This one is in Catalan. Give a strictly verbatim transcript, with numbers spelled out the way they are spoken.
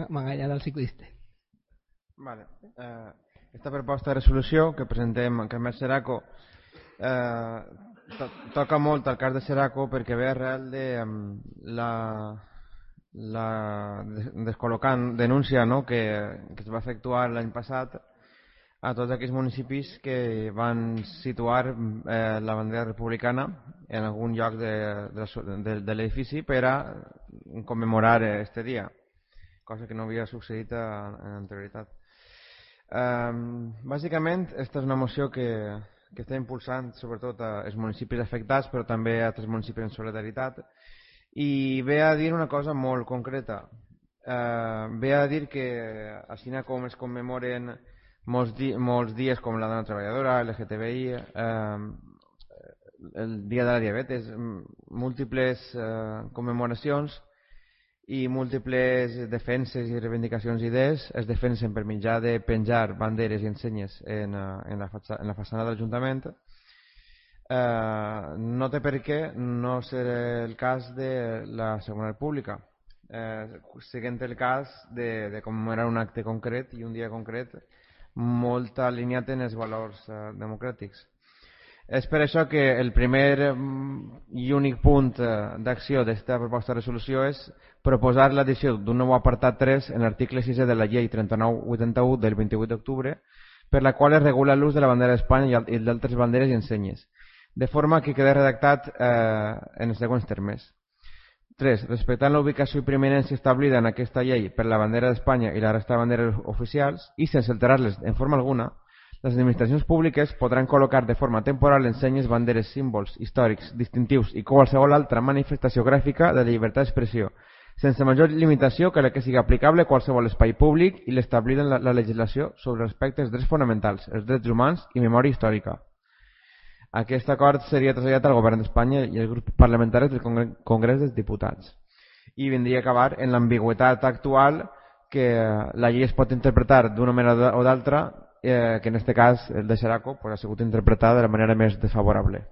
M'enganyat el ciclista. Vale. Eh, esta proposta de resolució que presentem en Carmel Seraco eh, to toca molt al cas de Seraco perquè ve arrel de um, la, la descol·locant denúncia, no?, que, que es va efectuar l'any passat a tots aquells municipis que van situar eh, la bandera republicana en algun lloc de, de, de, de l'edifici per a commemorar este dia, cosa que no havia succeït en anterioritat. Um, bàsicament, aquesta és una moció que, que està impulsant sobretot als municipis afectats, però també a altres municipis en solidaritat, i ve a dir una cosa molt concreta. Uh, ve a dir que així com es commemoren molts, di molts dies com la dona treballadora, L G T B I, uh, el dia de la diabetes, múltiples uh, commemoracions i múltiples defenses i reivindicacions d'idees es defensen per mitjà de penjar banderes i ensenyes en, en, la, en la façana de l'Ajuntament. Eh, no té per què no ser el cas de la Segona República, eh, siguent el cas de, de commemorar un acte concret i un dia concret molt alineat en els valors eh, democràtics. És per això que el primer i únic punt d'acció d'aquesta proposta de resolució és proposar l'addició d'un nou apartat tres en l'article sis de la llei trenta-nou vuitanta-u del vint-i-vuit d'octubre, per la qual es regula l'ús de la bandera d'Espanya i d'altres banderes i ensenyes, de forma que quedi redactat eh, en els següents termes. tres. Respectant la ubicació i preeminència establida en aquesta llei per la bandera d'Espanya i la resta de banderes oficials i sense alterar-les en forma alguna, les administracions públiques podran col·locar de forma temporal ensenyes, banderes, símbols històrics, distintius i qualsevol altra manifestació gràfica de llibertat d'expressió, sense major limitació que la que sigui aplicable a qualsevol espai públic i l'establida en la, la legislació sobre respecte als drets fonamentals, els drets humans i memòria històrica. Aquest acord seria traslladat al govern d'Espanya i als grups parlamentaris del Congrés dels Diputats i vindria a acabar en l'ambigüitat actual que la llei es pot interpretar d'una manera o d'altra, eh, que en aquest cas el de Seraco pues, ha sigut interpretada de la manera més desfavorable.